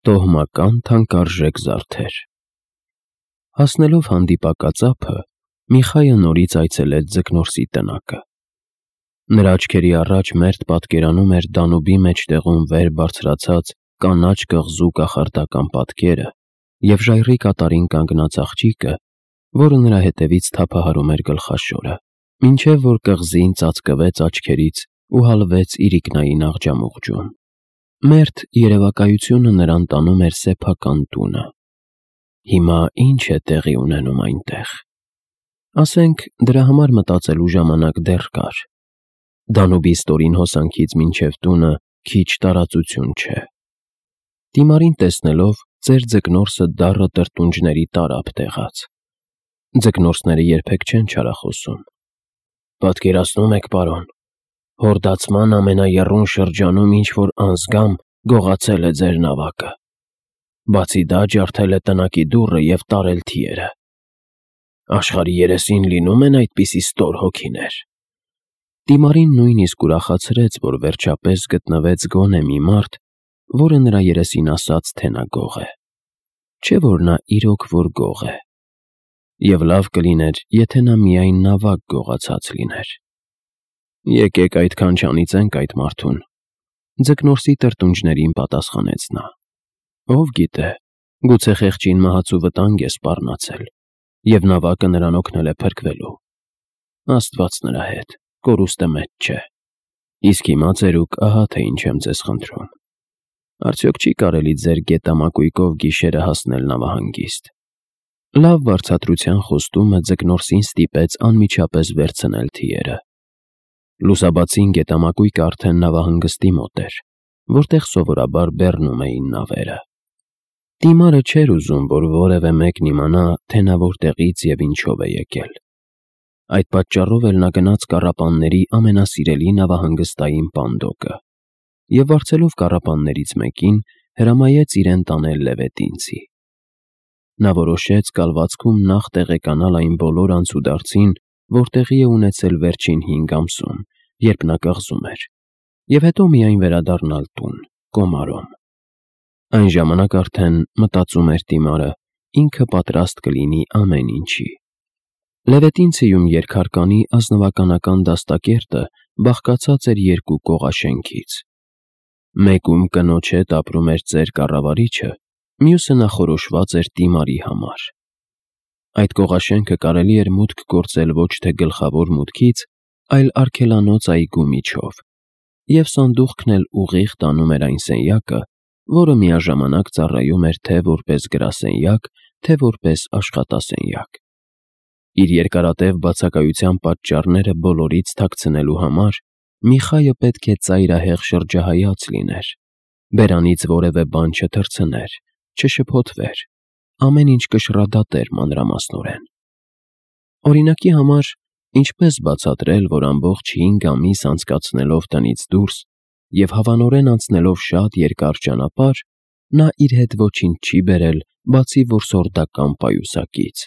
Տոհմական թանկարժեք զարդեր։ Հասնելով հանդիպակաձափը, Միխայը նորից այցելեց Ձկնորսի տնակը։ Նրա աչքերի առաջ մերթ պատկերանում էր Դանուբի մեջտեղում վեր բարձրացած կանաչ կղզու կախարդական պատկերը և ժայռի կատարին կանգնած աղջիկը, որը նրա հետևից թափահարում էր գլխաշորը, մինչև որ կղզին ծածկվեց աչքերից ու հալվեց իրիկնային աղջամուղջում։ Մերթ երևակայությունը նրան տանում էր սեփական տունը։ Հիմա ի՞նչ է տեղի ունենում այնտեղ։ Ասենք, դրա համար մտածելու ժամանակ դեռ կար։ Դանուբի ստորին հոսանքից մինչև տունը քիչ տարածություն չէ։ Դիմարին տեսնելով, ծեր Ձկնորսը դառը տրտունջների տարափ տեղաց։ Ձկնորսները երբեք չեն չարախոսում։ Պատկերացնում եք, պարոն, հորդացման ամենաեռուն շրջանում ինչ-որ անզգամ գողացել է ձեր նավակը։ Բացի դա, ջարդել է տնակի դուռը և տարել թիերը։ Աշխարհի երեսին լինում են այդպիսի ստոր հոգիներ։ Դիմարին նույնիսկ ուրախացրեց, որ վերջապես գտնվեց գոնե մի մարդ, որը նրա երեսին ասաց, թե նա գող է։ Չէ՞ որ նա իրոք որ գող է։ Եվ լավ կլիներ, եթե նա միայն նավակ գողացած լիներ։ Եկեք այդքան չանիծենք այդ մարդուն, Ձկնորսի տրտունջներին պատասխանեց նա։ Ով գիտե, գուցե խեղճին մահացու վտանգ է սպառնացել, և նավակը նրան օգնել է փրկվելու։ Աստված նրա հետ, կորուստը մեծ չէ։ Իսկ հիմա, ծերուկ, ահա թե ինչ եմ ձեզ խնդրում։ Արդյոք չի կարելի ձեր գետամակույկով գիշերը հասնել նավահանգիստ։ Լավ վարձատրության խոստումը Ձկնորսին ստիպեց անմիջապես վերցնել թիերը։ Լուսաբացին գետամակույկը արդեն նավահանգստի մոտ էր, որտեղ սովորաբար բեռնում էին նավերը։ Դիմարը չէր ուզում, որ որևէ մեկն իմանա, թե նա որտեղից և ինչով է եկել։ Այդ պատճառով էլ նա գնաց կառապանների ամենասիրելի նավահանգստային պանդոկը և վարձելով կառապաններից մեկին, հրամայեց իրեն տանել Լևետինցի։ Նա որոշեց կալվածքում նախ տեղեկանալ այն բոլոր անցուդարձին, որ տեղի է ունեցել վերջին 5 ամսում, երբ նա կղզում էր, և հետո միայն վերադառնալ տուն, Կոմարոմ։ Այն ժամանակ արդեն, մտածում էր Դիմարը, ինքը պատրաստ կլինի ամեն ինչի։ Լևետինցիում երկհարկանի ազնվականական դաստակերտը բաղկացած էր 2 կողաշենքից։ Մեկում կնոջ հետ ապրում էր ծեր կառավարիչը, մյուսը նախորոշված էր Դիմարի համար։ Այդ կողաշենքը կարելի էր մուտք գործել ոչ թե գլխավոր մուտքից, այլ արգելանոց այգու միջով, և սանդուղքն էլ ուղիղ տանում էր այն սենյակը, որը միաժամանակ ծառայում էր թե որպես գրասենյակ, թե որպես աշխատասենյակ։ Իր երկարատև բացակայության պատճառները բոլորից թաքցնելու համար Միխայը պետք է ծայրահեղ շրջահայաց լիներ, բերանից որևէ բան չթռցներ, չշփոթվեր, ամեն ինչ կշռադատեր մանրամասնորեն։ Օրինակի համար, ինչպես բացատրել, որ ամբողջ 5 ամիս անցկացնելով տնից դուրս և հավանորեն անցնելով շատ երկար ճանապարհ, նա իր հետ ոչինչ չի բերել, բացի որսորդական պայուսակից,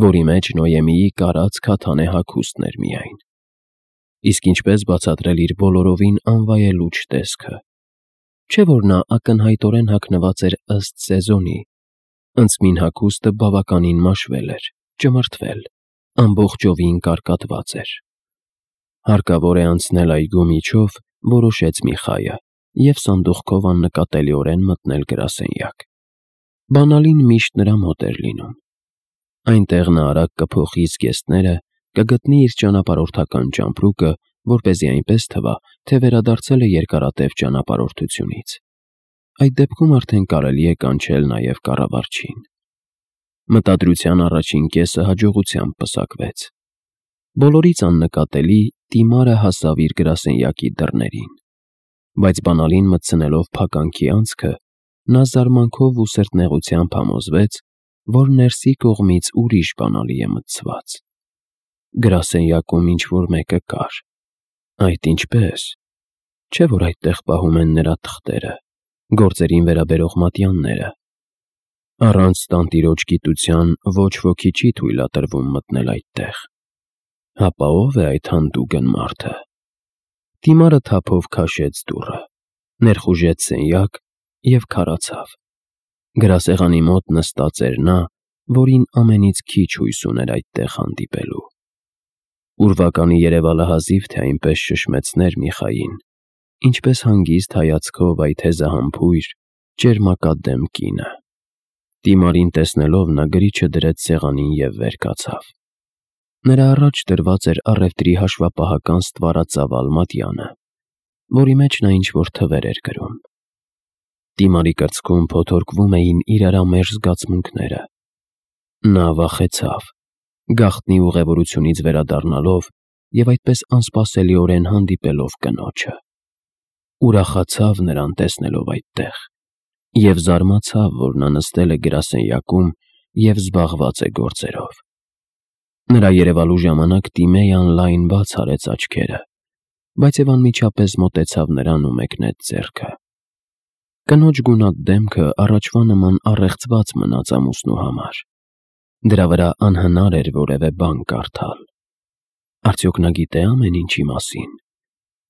որի մեջ Նոյեմիի կարած քաթանե հագուստն էր միայն։ Իսկ ինչպես բացատրել իր բոլորովին անվայելուչ տեսքը։ Չէ՞ որ նա ակնհայտորեն հագնված էր ըստ սեզոնի, ընծմին հագուստը բավականին մաշվել էր, ճմրթվել, ամբողջովին կարկատված էր։ Հարկավոր է անցնել այգու միջով, որոշեց Միխայը, և սանդուղքով աննկատելիորեն մտնել գրասենյակ։ Բանալին միշտ նրա մոտ էր լինում։ Այնտեղ նա արագ կփոխի զգեստները, կգտնի իր ճանապարհորդական ճամպրուկը, որպեսզի այնպես թվա, թե վերադարձել է երկարատև ճանապարհորդությունից։ Այդ դեպքում արդեն կարելի է կանչել նաև կառավարչին։ Մտադրության առաջին կեսը հաջողությամբ պսակվեց։ Բոլորից աննկատելի Դիմարը հասավ իր գրասենյակի դռներին, բայց բանալին մտցնելով փականքի անցքը, նա զարմանքով ու սրտնեղությամբ համոզվեց, որ ներսի կողմից ուրիշ բանալի է մտցված։ Գրասենյակում ինչ-որ մեկը կար։ Այդ ինչպե՞ս։ Չէ՞ որ այդտեղ պահում են նրա թղթերը, գործերին վերաբերող մատյանները։ Առանց տանտիրոջ գիտության ոչ ոքի չի թույլատրվում մտնել այդտեղ։ Հապա ո՞վ է այդ հանդուգն մարդը։ Դիմարը թափով քաշեց դուռը, ներխուժեց սենյակ և քարացավ։ Գրասեղանի մոտ նստած էր նա, որին ամենից քիչ հույս ուներ այդտեղ հանդիպելու։ Ուրվականի երևալը հազիվ թե այնպես շշմեցներ Միխային, ինչպես հանգիստ հայացքով այդ հեզահամբույր, ճերմակադեմ կինը։ Դիմարին տեսնելով նա գրիչը դրեց սեղանին և վեր կացավ։ Նրա առաջ դրված էր առևտրի հաշվապահական ստվարածավալ մատյանը, որի մեջ նա ինչ-որ թվեր էր գրում։ Դիմարի կրծքում փոթորկվում էին իրարամերժ զգացմունքները։ Նա վախեցավ, գաղտնի ուղևորությունից վերադառնալով և այդպես անսպասելիորեն հանդիպելով կնոջը։ Ուրախացավ նրան տեսնելով այդտեղ և զարմացավ, որ նա նստել է գրասենյակում և զբաղված է գործերով։ Նրա երևալու ժամանակ Տիմեյան լայն բաց արեց աչքերը, բայց և անմիջապես մոտեցավ նրան ու մեկնեց ձեռքը։ Կնոջ գունատ դեմքը առաջվա նման առեղծված մնաց ամուսնու համար։ Դրա վրա անհնար էր որևէ բան կարդալ։ Արդյոք նա գիտե ամեն ինչի մասին,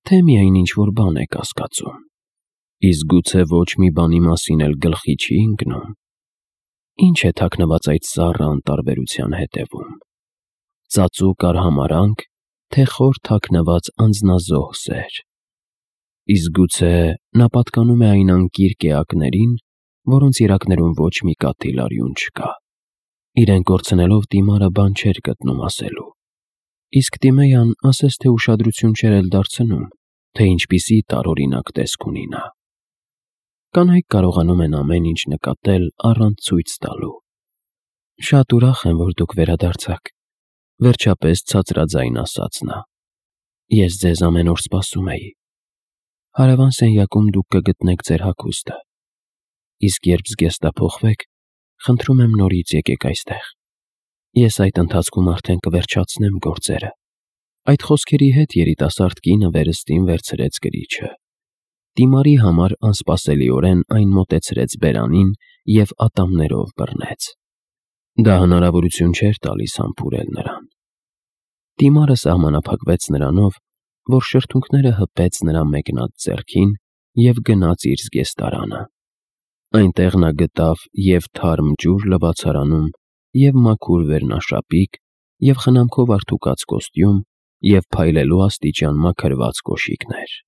թե միայն ինչ-որ բան է կասկածում։ Իսկ գուցե ոչ մի բանի մասին էլ գլխի չի ընկնում։ Ինչ է թաքնված այդ սառը անտարբերության հետևում։ Ծածուկ արհամարհանք, թե խոր թաքնված անձնազոհ սեր։ Իսկ գուցե նա պատկանում է այն անկիրք էակներին, որոնց երակներում ոչ մի կաթիլ արյուն չկա։ Իրեն կորցնելով Տիմարը բան չէր գտնում ասելու։ Իսկ Տիմեյան ասես թե ուշադրություն չէր էլ դարձնում, թե ինչպիսի տարօրինակ տեսք ունի նա։ Կանայք կարողանում են ամեն ինչ նկատել առանց ցույց տալու։ Շատ ուրախ եմ, որ դուք վերադարձաք, վերջապես ցածրաձայն ասաց նա։ Ես ձեզ ամեն օր սպասում էի։ Հարևան սենյակում դուք կգտնեք ձեր հագուստը։ Իսկ երբ զգեստափոխվեք, խնդրում եմ նորից եկեք այստեղ։ Ես այդ ընթացքում արդեն կվերջացնեմ գործերը։ Այդ խոսքերի հետ երիտասարդ կինը վերստին վերցրեց գրիչը։ Տիմարի համար անսպասելիորեն այն մոտեցրեց բերանին և ատամներով բռնեց։ Դա հնարավորություն չէր տալիս համբուրել նրան։ Տիմարը սահմանափակվեց նրանով, որ շրթունքները հպեց նրա մեկնած ձեռքին և գնաց իր զգեստարանը։ Այնտեղ նա գտավ և թարմ ջուր լվացարանում, և մաքուր վերնաշապիկ, և խնամքով արդուկած կոստյում, և փայլելու աստիճան մաքրված կոշիկներ։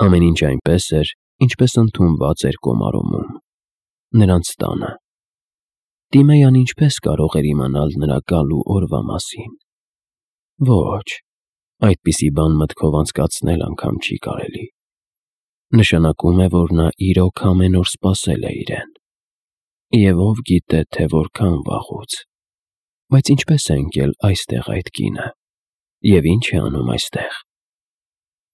Ամեն ինչ այնպես էր, ինչպես ընդունված էր Կոմարոմում, նրանց տանը։ Տիմեյան ինչպես կարող էր իմանալ նրա գալու օրվա մասին։ Ոչ, այդպիսի բան մտքով անցկացնել անգամ չի կարելի։ Նշանակում է, որ նա իրոք ամեն օր սպասել է իրեն։ Եվ ով գիտե, թե որքան վաղուց։ Բայց ինչպես է ընկել այստեղ այդ կինը։ Եվ ինչ է անում այստեղ։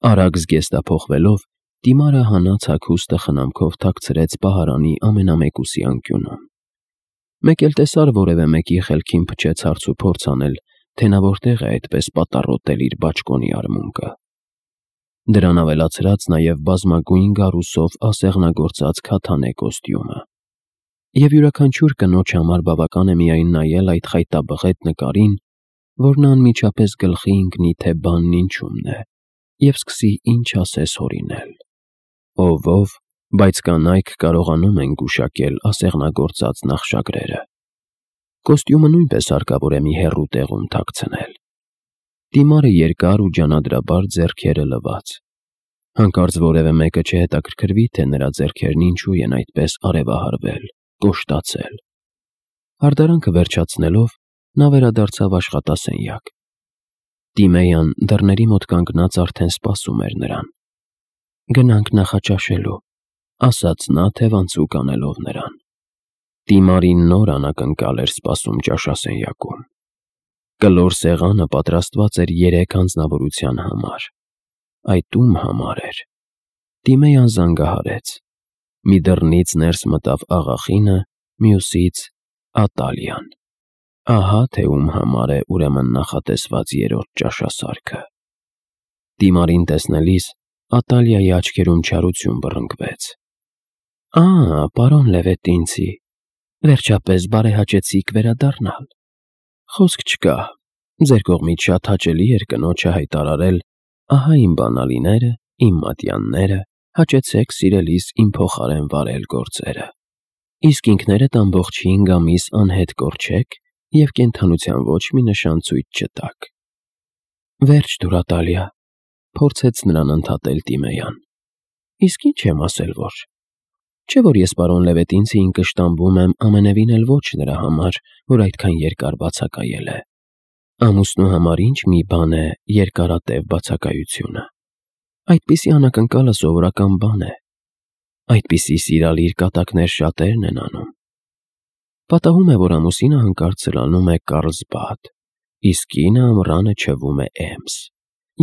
Արագ զգեստափոխվելով, Տիմարը հանած հագուստը խնամքով թաքցրեց պահարանի ամենամեկուսի անկյունում։ Մեկ էլ տեսար որևէ մեկի խելքին փչեց հարց ու փորձ անել, թե նա որտեղ է այդպես պատառոտել իր բաճկոնի արմունկը։ Դրան ավելացրած նաև բազմագույն գարուսով ասեղնագործած քաթանե կոստյումը։ Եվ յուրաքանչյուր կնոջ համար բավական է միայն նայել այդ խայտաբղետ նկարին, որ նա անմիջապես գլխի ընկնի, թե բանն ինչումն է, և սկսի ինչ ասես հորինել։ Ով, բայց կանայք կարողանում են գուշակել ասեղնագործած նախշագրերը։ Կոստյումը նույնպես հարկավոր է մի հեռու տեղում թաքցնել։ Տիմարը երկար ու ջանադրաբար ձեռքերը լվաց։ Հանկարծ որևէ մեկը չհետաքրքրվի, թե նրա ձեռքերն ինչու են այդպես արևահարվել, կոշտացել։ Հարդարանքը վերջացնելով, նա վերադարձավ աշխատասենյակ։ Տիմեյան դռների մոտ կանգնած արդեն սպասում էր նրան։ Գնանք նախաճաշելու, ասաց նա թևանցուկ անելով նրան։ Տիմարին նոր անակնկալ էր սպասում ճաշասենյակում։ Կլոր սեղանը պատրաստված էր 3 անձնավորության համար։ Այդ ում համար էր։ Տիմեյան զանգահարեց։ Մի դռնից ներս մտավ աղախինը, մյուսից Ատալիան։ Ահա թե ում համար է ուրեմն նախատեսված 3-րդ ճաշասարքը։ Տիմարին տեսնելիս Ատալիայի աչքերում չարություն բռնկվեց։ Պարոն Լևետինցի, վերջապես բարեհաճեցիք վերադառնալ։ Խոսք չկա, ձեր կողմից շատ հաճելի էր կնոջը հայտարարել. ահա իմ բանալիները, իմ մատյանները, հաճեցեք սիրելիս իմ փոխարեն վարել գործերը։ Իսկ ինքներդ ամբողջ 5 ամիս անհետ կորչեք և կենդանության ոչ մի նշան ցույց չտաք։ Վերջ դուր, Ատալիա, փորձեց նրան ընդհատել Տիմեյան։ Իսկ ինչ եմ ասել, որ… Չէ՞ որ ես պարոն Լևետինցիին կշտամբում եմ ամենևին էլ ոչ նրա համար, որ այդքան երկար բացակայել է։ Ամուսնու համար ինչ մի բան է երկարատև բացակայությունը։ Այդպիսի անակնկալը սովորական բան է։ Այդպիսի սիրալիր կատակներ շատերն են անում։ Պատահում է, որ ամուսինը հանկարծ սլանում է Կարլսբադ, իսկ կինը ամռանը չվում է Էմս,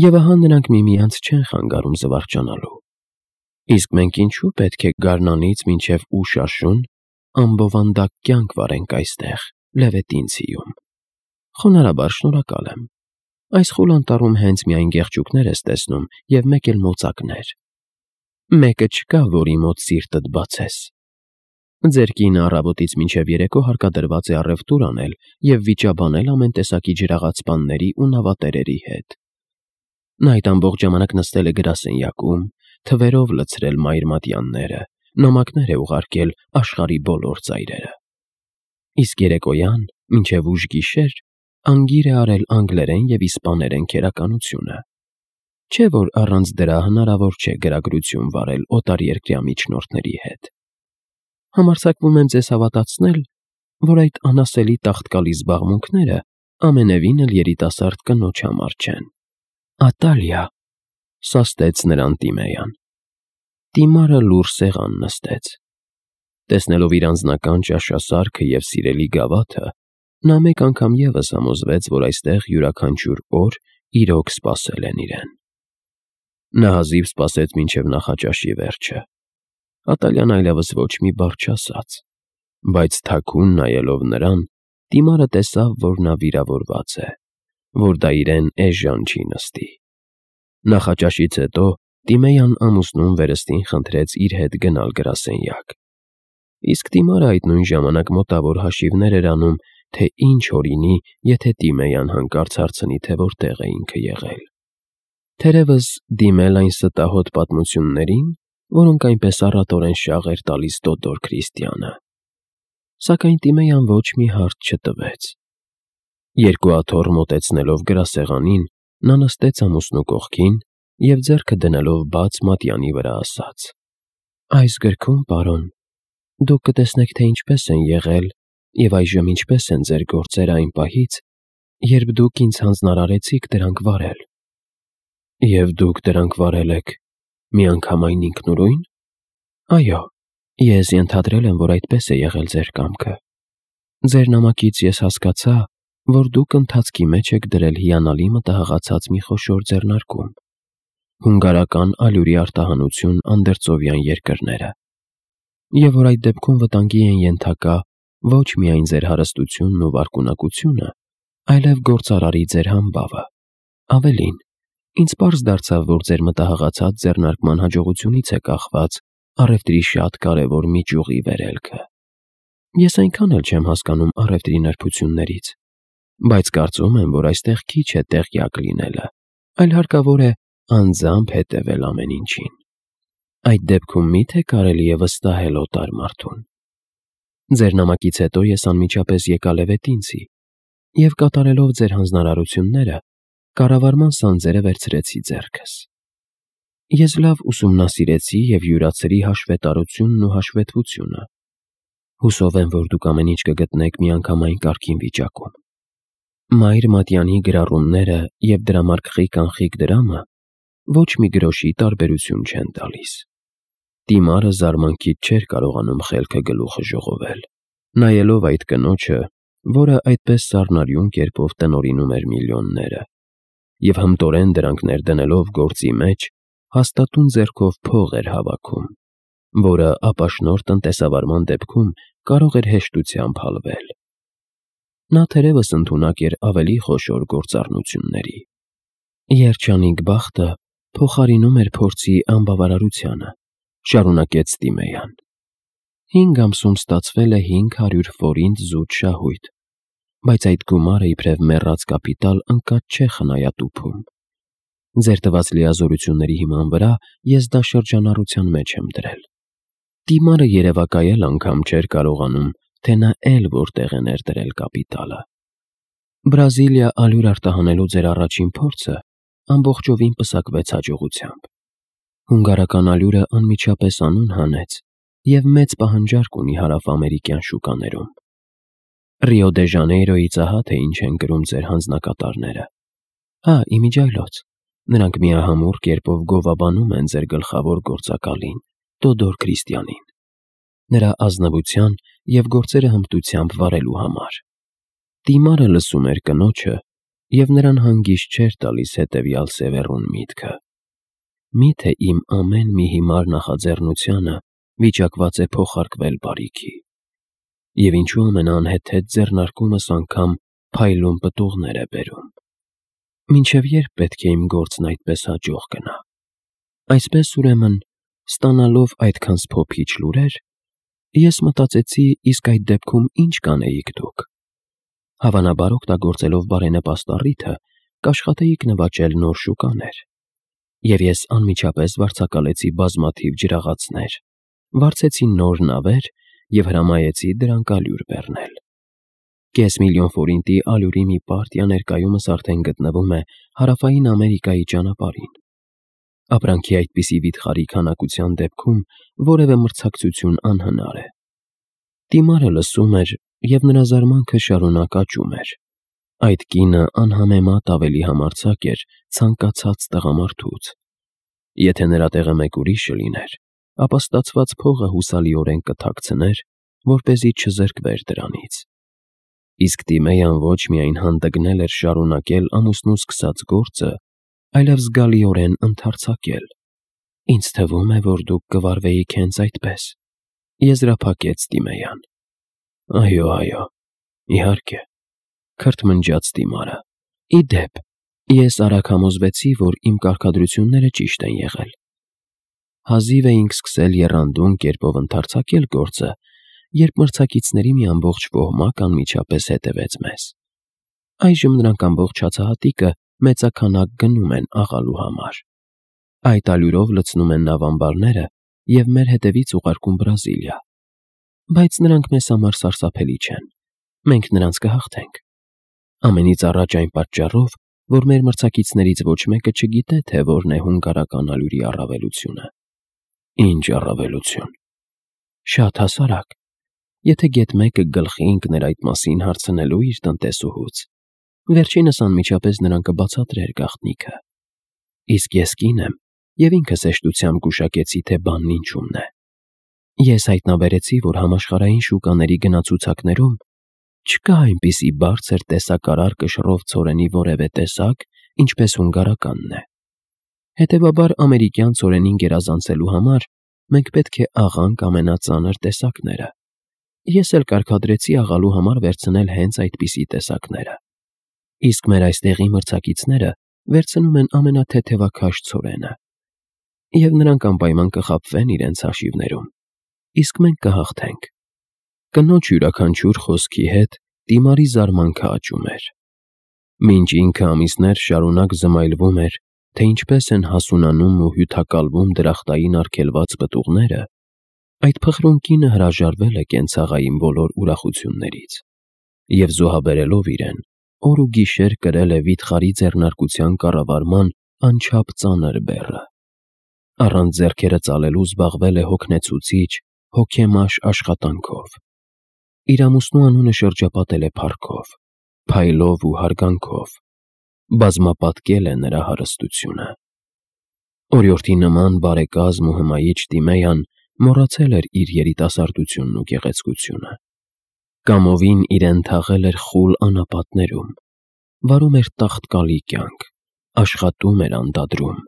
և ահա նրանք միմյանց չեն խանգարում զվարճանալու։ Իսկ մենք ինչու պետք է գարնանից մինչև ուշ աշուն ամբովանդակ կյանք վարենք այստեղ, Լևետինցիում։ Խոնարհաբար շնորհակալ եմ։ Այս խուլ անտառում հենց միայն գեղջուկներ ես տեսնում և մեկ էլ մոծակներ։ Մեկը չկա, որի մոտ սիրտդ բացես։ Ձեր կինը առավոտից մինչև երեկո հարկադրված է առևտուր անել և վիճաբանել ամեն տեսակի ջրաղացպանների ու նավատերերի հետ։ Նա այդ ամբողջ ժամանակ նստել է գրասենյակում, թվերով լցրել մայրմատյանները, նամակներ է ուղարկել աշխարհի բոլոր ծայրերը։ Իսկ երեկոյան, մինչև ուշ գիշեր, անգիր է արել անգլերեն և իսպաներեն քերականությունը։ Չէ՞ որ առանց դրա հնարավոր չէ գրագրություն վարել օտարերկրյա միջնորդների հետ։ Համարձակվում եմ ձեզ հավատացնել, որ այդ անասելի տաղտկալի զբաղմունքները ամենևին էլ երիտասարդ կնոջ համար չեն։ Ատալիա, սաստեց նրան Տիմեյան։ Տիմարը լուռ սեղան նստեց։ Տեսնելով իր անձնական ճաշասարքը և սիրելի գավաթը, նա մեկ անգամ ևս համոզվեց, որ այստեղ յուրաքանչյուր օր իրոք սպասել են իրեն։ Նա հազիվ սպասեց մինչև նախաճաշի վերջը։ Ատալյան այլևս ոչ մի բառ չասաց, բայց թաքուն նայելով նրան, Տիմարը տեսավ, որ նա վիրավորված է, որ դա իրեն էժան չի նստի։ Նախաճաշից հետո Տիմեյան ամուսնուն վերստին խնդրեց իր հետ գնալ գրասենյակ։ Իսկ Տիմարը այդ նույն ժամանակ մոտավոր հաշիվներ էր անում, թե ինչ օրինի, եթե Տիմեյան հանկարծ հարցնի, թե որտեղ է ինքը եղել։ Թերևս դիմել այն ստահոդ պատմություններին, որոնք այնպես առատորեն շաղ էր տալիս Տոդոր Քրիստիանը։ Սակայն Տիմեյան ոչ մի հարց չտվեց։ Երկու աթոռ մոտեցնելով գրասեղանին, նա նստեց ամուսնու կողքին և ձեռքը դնելով բաց մատյանի վրա ասաց. Այս գրքում, պարոն, դուք կտեսնեք, թե ինչպես են եղել և այժմ ինչպես են ձեր գործերը այն պահից, երբ դուք ինձ հանձնարարեցիք դրանք վարել։ Եվ դուք դրանք վարել եք միանգամայն ինքնուրույն։ Այո, ես ենթադրել եմ, որ այդպես է եղել ձեր կամքը։ Ձեր նամակից ես հասկացա, որ դուք ընթացքի մեջ եք դրել հիանալի մտահղացած մի խոշոր ձեռնարկում. հունգարական ալյուրի արտահանություն անդերձովյան երկրները, և որ այդ դեպքում վտանգի են ենթակա ոչ միայն ձեր հարստությունն ու վարկունակությունը, այլև գործարարի ձեր համբավը։ Ավելին, ինձ պարզ դարձավ, որ ձեր մտահղացած ձեռնարկման հաջողությունից է կախված առևտրի շատ կարևոր մի ճյուղի վերելքը։ Ես այնքան էլ չեմ հասկանում առևտրի նրբություններից, բայց կարծում եմ, որ այստեղ քիչ է տեղյակ լինելը, այլ հարկավոր է անձամբ հետևել ամեն ինչին։ Այդ դեպքում մի՞թե կարելի է վստահել օտար մարդուն։ Ձեր նամակից հետո ես անմիջապես եկա Լևետինցի և կատարելով ձեր հանձնարարությունները, կառավարման սանձերը վերցրեցի ձեռքս։ Ես լավ ուսումնասիրեցի և յուրացրի հաշվետարությունն ու հաշվետվությունը։ Հուսով եմ, որ դուք ամեն ինչ կգտնեք միանգամայն կարգին վիճակում։ Մայր մատյանի գրառումները և դրամարկղի կանխիկ դրամը ոչ մի գրոշի տարբերություն չեն տալիս։ Տիմարը զարմանքից չէր կարողանում խելքը գլուխը ժողովել, նայելով այդ կնոջը, որը այդպես սառնարյուն կերպով տնօրինում էր միլիոնները, և հմտորեն դրանք ներդնելով գործի մեջ, հաստատուն ձեռքով փող էր հավաքում, որը ապաշնորհ տնտեսավարման դեպքում կարող էր հեշտությամբ հալվել։ Նա թերևս ընդունակ էր ավելի խոշոր գործառնությունների։ Երջանիկ բախտը փոխարինում էր փորձի անբավարարությանը, շարունակեց Տիմեյան։ 5 ամսում ստացվել է 500 ֆորինտ զուտ շահույթ, բայց այդ գումարը իբրև մեռած կապիտալ ընկած չէ խնայատուփում։ Ձեր տված լիազորությունների հիման վրա ես դա շրջանառության մեջ եմ դրել։ Տիմարը երևակայել անգամ չէր կարողանում, թե նա էլ որտեղ է ներդրել կապիտալը։ Բրազիլիա ալյուր արտահանելու ձեր առաջին փորձը ամբողջովին պսակվեց հաջողությամբ։ Հունգարական ալյուրը անմիջապես անուն հանեց և մեծ պահանջարկ ունի հարավամերիկյան շուկաներում։ Ռիո դե Ժանեյրոյից ահա թե ինչ են գրում ձեր հանձնակատարները։ Հա, իմիջիայլոց, նրանք միահամուռ կերպով գովաբանում են ձեր գլխավոր գործակալին, Տոդոր Քրիստիանին, նրա ազնվության և գործերը հմտությամբ վարելու համար։ Տիմարը լսում էր կնոջը և նրան հանգիստ չէր տալիս հետևյալ սևեռուն միտքը. միթե իմ ամեն մի հիմար նախաձեռնությանը վիճակված է փոխարկվել բարիքի, և ինչու ամենաանհեթեթ ձեռնարկումս անգամ փայլուն պտուղներ է բերում։ Մինչև երբ պետք է իմ գործն այդպես հաջող գնա։ Այսպես ուրեմն, ստանալով այդքան սփոփիչ լուրեր, ես մտածեցի, իսկ այդ դեպքում ինչ կանեիք դուք։ Հավանաբար օգտագործելով բարենպաստ առիթը, կաշխատեիք նվաճել նոր շուկաներ։ Եվ ես անմիջապես վարձակալեցի բազմաթիվ ջրաղացներ, վարձեցի նոր նավեր և հրամայեցի դրանք ալյուր բեռնել։ $500,000 ֆորինտի ալյուրի մի պարտիա ներկայումս արդեն գտնվում է Հարավային Ամերիկայի ճանապարհին։ Ապրանքի այդպիսի վիթխարի քանակության դեպքում որևէ մրցակցություն անհնար է։ Տիմարը լսում էր, և նրա զարմանքը շարունակ աճում էր։ Այդ կինը անհամեմատ ավելի համարձակ էր ցանկացած տղամարդուց։ Եթե նրա տեղը մեկ ուրիշը լիներ, ապա ստացված փողը հուսալիորեն կթաքցներ, որպեսզի չզրկվեր դրանից։ Իսկ Տիմեյան ոչ միայն հանդգնել էր շարունակել ամուսնու սկսած գործը, այլև զգալիորեն ընդարձակել։ Ինձ թվում է, որ դուք կվարվեիք հենց այդպես, եզրափակեց Տիմեյան։ Այո, իհարկե, քրթմնջաց Տիմարը։ Ի դեպ, ես արագ համոզվեցի, որ իմ կարգադրությունները ճիշտ են եղել։ Հազիվ էինք սկսել եռանդուն կերպով ընդարձակել գործը, երբ մրցակիցների մի ամբողջ ոհմակ անմիջապես հետևեց մեզ։ Այժմ նրանք ամբողջ հացահատիկը մեծաքանակ գնում են աղալու համար։ Այդ ալյուրով լցնում են նավամբարները և մեր հետևից ուղարկում Բրազիլիա։ Բայց նրանք մեզ համար սարսափելի չեն։ Մենք նրանց կհաղթենք։ Ամենից առաջ այն պատճառով, որ մեր մրցակիցներից ոչ մեկը չգիտե, թե որն է հունգարական ալյուրի առավելությունը։ Ինչ առավելություն։ Շատ հասարակ։ Եթե գեթ մեկը գլխի ընկներ այդ մասին հարցնելու իր տնտեսուհուց, վերջինս անմիջապես նրան կբացատրեր գաղտնիքը։ Իսկ ես կին եմ և ինքս հեշտությամբ գուշակեցի, թե բանն ինչումն է։ Ես հայտնաբերեցի, որ համաշխարհային շուկաների գնացուցակներում չկա այնպիսի բարձր տեսակարար կշռով ցորենի որևէ տեսակ, ինչպես հունգարականն է։ Հետևաբար, ամերիկյան ցորենին գերազանցելու համար մենք պետք է աղանք ամենածանր տեսակները։ Ես էլ կարգադրեցի աղալու համար վերցնել հենց այդպիսի տեսակները։ Իսկ մեր այստեղի մրցակիցները վերցնում են ամենաթեթևաքաշ ցորենը։ Եվ նրանք անպայման կխաբվեն իրենց հաշիվներում։ Իսկ մենք կհաղթենք։ Կնոջ յուրաքանչյուր խոսքի հետ Տիմարի զարմանքը աճում էր։ Մինչ ինքը ամիսներ շարունակ զմայլվում էր, թե ինչպես են հասունանում ու հյութակալվում դրախտային արգելված պտուղները, այդ փխրուն կինը հրաժարվել է կենցաղային բոլոր ուրախություններից և զոհաբերելով իրեն, օր ու գիշեր կրել է վիթխարի ձեռնարկության կառավարման անչափ ծանր բեռը։ Առանց ձեռքերը ծալելու զբաղվել է հոգնեցուցիչ, հոգեմաշ աշխատանքով։ Իր ամուսնու անունը շրջապատել է փառքով, փայլով ու հարգանքով, բազմապատկել է նրա հարստությունը։ Օրիորդի նման բարեկազմ ու հմայիչ Տիմեյան մոռացել էր իր երիտասարդությունն ու գեղեցկությունը։ Կամովին իրեն թաղել էր խուլ անապատներում, վարում էր տաղտկալի կյանք, աշխատում էր անդադրում,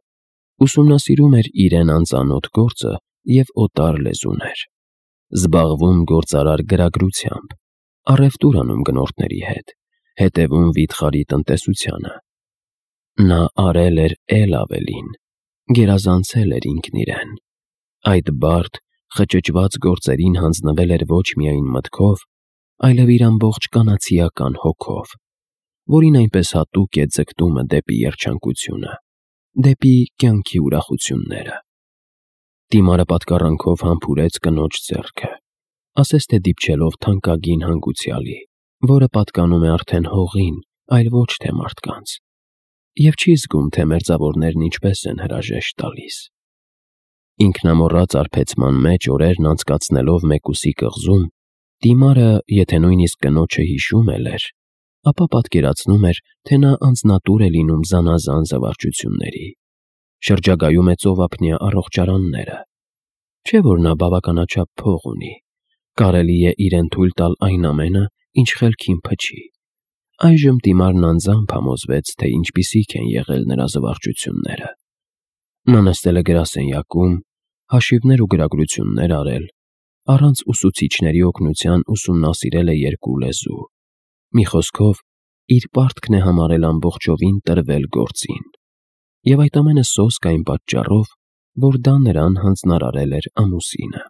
ուսումնասիրում էր իրեն անծանոթ գործը և օտար լեզուներ, զբաղվում գործարար գրագրությամբ, առևտուր անում գնորդների հետ, հետևում վիթխարի տնտեսությանը։ Նա արել էր էլ ավելին, գերազանցել էր ինքն իրեն։ Այդ բարդ, խճճված գործերին հանձնվել էր ոչ միայն մտքով, այլև իր ամբողջ կանացիական հոգով, որին այնպես հատուկ է ձգտումը դեպի երջանկությունը, դեպի կյանքի ուրախությունները։ Դիմարը պատկառանքով համբուրեց կնոջ ձեռքը, ասես թե դիպչելով թանկագին հանգուցյալի, որը պատկանում է արդեն հողին, այլ ոչ թե մարդկանց, և չի զգում, թե մերձավորներն ինչպես են հրաժեշտ տալիս։ Ինքնամոռաց արբեցման մեջ օրերն անցկացնելով մեկուսի կղզում, Դիմարը, եթե նույնիսկ կնոջը հիշում էլ էր, ապա պատկերացնում էր, թե նա անձնատուր է լինում զանազան զվարճությունների, շրջագայում է ծովափնյա առողջարանները, չէ՞ որ նա բավականաչափ փող ունի, կարելի է իրեն թույլ տալ այն ամենը, ինչ խելքին փչի։ Այժմ Դիմարն անձամբ համոզվեց, թե ինչպիսիք են եղել նրա զվարճությունները։ Նա նստել է գրասենյակում, հաշիվներ ու գրագրություններ արել, առանց ուսուցիչների օգնության ուսումնասիրել է 2 լեզու, մի խոսքով, իր պարտքն է համարել ամբողջովին տրվել գործին, և այդ ամենը սոսկ այն պատճառով, որ դա նրան հանձնարարել էր ամուսինը։